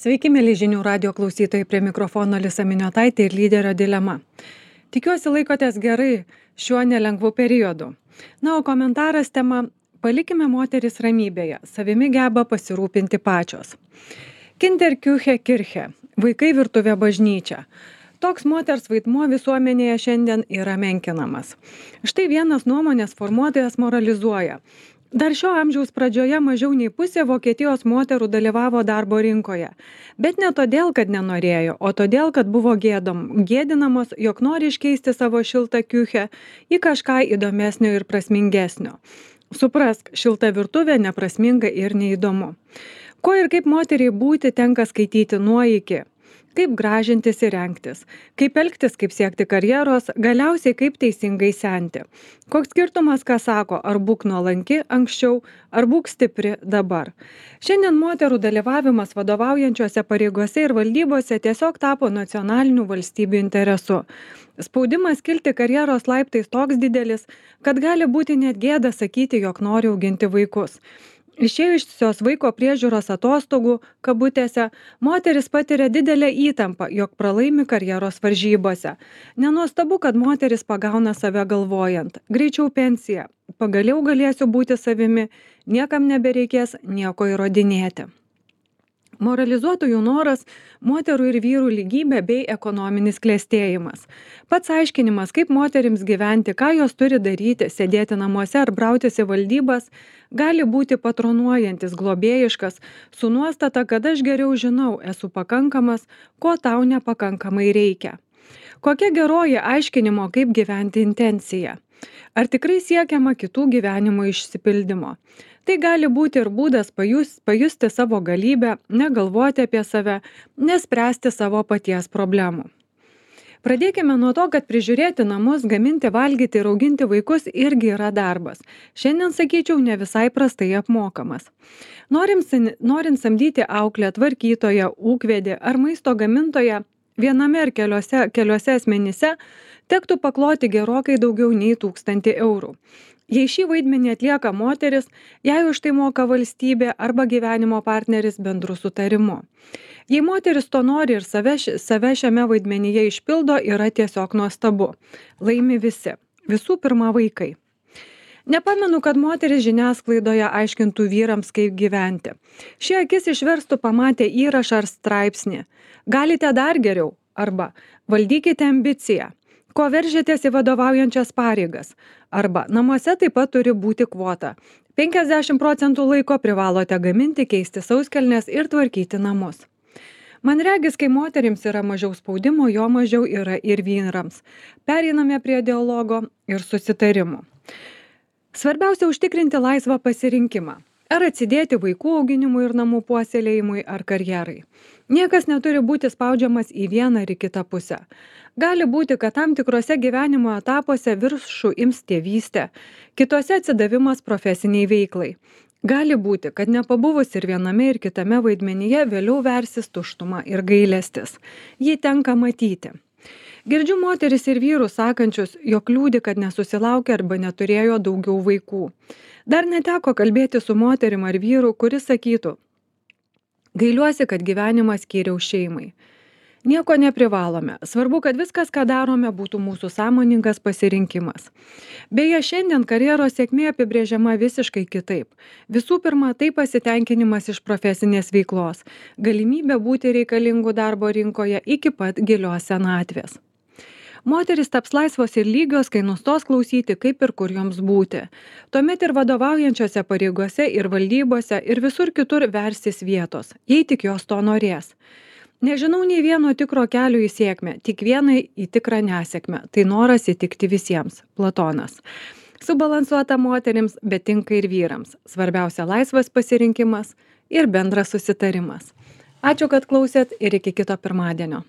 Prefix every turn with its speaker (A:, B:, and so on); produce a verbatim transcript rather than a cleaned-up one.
A: Sveiki, mėly žinių radio klausytojai, prie mikrofono Alisa Miniotaitė ir lyderio dilema. Tikiuosi laikotės gerai šiuo nelengvu periodu. Na, o komentaras tema – palikime moteris ramybėje, savimi geba pasirūpinti pačios. Kinderküche Kirche – vaikai virtuvė bažnyčia. Toks moters vaidmuo visuomenėje šiandien yra menkinamas. Štai vienas nuomonės formuotojas moralizuoja. Dar šio amžiaus pradžioje mažiau nei pusė Vokietijos moterų dalyvavo darbo rinkoje. Bet ne todėl, kad nenorėjo, o todėl, kad buvo gėdom, gėdinamos, jog nori iškeisti savo šiltą kiuchę į kažką įdomesnio ir prasmingesnio. Suprask, šilta virtuvė neprasminga ir neįdomu. Ko ir kaip moteriai būti tenka skaityti nuo iki. Kaip gražintis ir rengtis, kaip elgtis, kaip siekti karjeros, galiausiai kaip teisingai senti. Koks skirtumas, ką sako, ar būk nuolanki anksčiau, ar būk stipri dabar. Šiandien moterų dalyvavimas vadovaujančiose pareigose ir valdybose tiesiog tapo nacionalinių valstybių interesu. Spaudimas kilti karjeros laiptais toks didelis, kad gali būti net gėda sakyti, jog nori auginti vaikus. Išėjusios vaiko priežiūros atostogų, kabutėse, moteris patiria didelę įtampą, jog pralaimi karjeros varžybose. Nenuostabu, kad moteris pagauna save galvojant. Greičiau pensija. Pagaliau galėsiu būti savimi, niekam nebereikės nieko įrodinėti. Moralizuotojų noras – moterų ir vyrų lygybė bei ekonominis klestėjimas. Pats aiškinimas, kaip moterims gyventi, ką jos turi daryti, sėdėti namuose ar brautis į valdybas, gali būti patronuojantis, globėjiškas, su nuostata, kad aš geriau žinau, esu pakankamas, ko tau nepakankamai reikia. Kokia geroji aiškinimo, kaip gyventi intencija? Ar tikrai siekiama kitų gyvenimo išsipildymo? Tai gali būti ir būdas pajus, pajusti savo galybę, negalvoti apie save, nespręsti savo paties problemų. Pradėkime nuo to, kad prižiūrėti namus, gaminti, valgyti ir auginti vaikus irgi yra darbas. Šiandien, sakyčiau, ne visai prastai apmokamas. Norint, norint samdyti auklę, tvarkytoją, ūkvedį ar maisto gamintoją, viename ar keliose, keliose asmenyse tektų pakloti gerokai daugiau nei tūkstantį eurų. Jei šį vaidmenį atlieka moteris, jai už tai moka valstybė arba gyvenimo partneris bendru sutarimu. Jei moteris to nori ir save, save šiame vaidmenyje išpildo, yra tiesiog nuostabu. Laimi visi. Visų pirma vaikai. Nepamenu, kad moteris žiniasklaidoje aiškintų vyrams, kaip gyventi. Šie akis išverstų pamatę įrašą ar straipsnį. Galite dar geriau arba valdykite ambiciją. Ko veržėtės į vadovaujančias pareigas? Arba namuose taip pat turi būti kvota. penkiasdešimt procentų laiko privalote gaminti, keisti sauskelnes ir tvarkyti namus. Man regis, kai moterims yra mažiau spaudimo, jo mažiau yra ir vyrams. Pereiname prie dialogo ir susitarimų. Svarbiausia užtikrinti laisvą pasirinkimą. Ar atsidėti vaikų auginimui ir namų puoselėjimui ar karjerai. Niekas neturi būti spaudžiamas į vieną ar į kitą pusę. Gali būti, kad tam tikrose gyvenimo etapuose viršų ims tėvystė, kitose atsidavimas profesiniai veiklai. Gali būti, kad nepabuvus ir viename ir kitame vaidmenyje vėliau versis tuštuma ir gailestis. Jį tenka matyti. Girdžiu moteris ir vyrus sakančius, jog liūdi, kad nesusilaukė arba neturėjo daugiau vaikų. Dar neteko kalbėti su moterim ar vyru, kuris sakytų: gailiuosi, kad gyvenimą skyriau šeimai. Nieko neprivalome. Svarbu, kad viskas, ką darome, būtų mūsų sąmoningas pasirinkimas. Beje, šiandien karjeros sėkmė apibrėžiama visiškai kitaip. Visų pirma, tai pasitenkinimas iš profesinės veiklos, galimybė būti reikalingų darbo rinkoje iki pat gilios senatvės. Moteris taps laisvos ir lygios, kai nustos klausyti, kaip ir kur joms būti. Tuomet ir vadovaujančiose pareigose, ir valdybose, ir visur kitur versis vietos, jei tik jos to norės. Nežinau nei vieno tikro kelio į sėkmę, tik vienai į tikrą nesėkmę. Tai noras įtikti visiems. Platonas. Subalansuota moterims, bet tinka ir vyrams. Svarbiausia laisvas pasirinkimas ir bendras susitarimas. Ačiū, kad klausėt ir iki kito pirmadienio.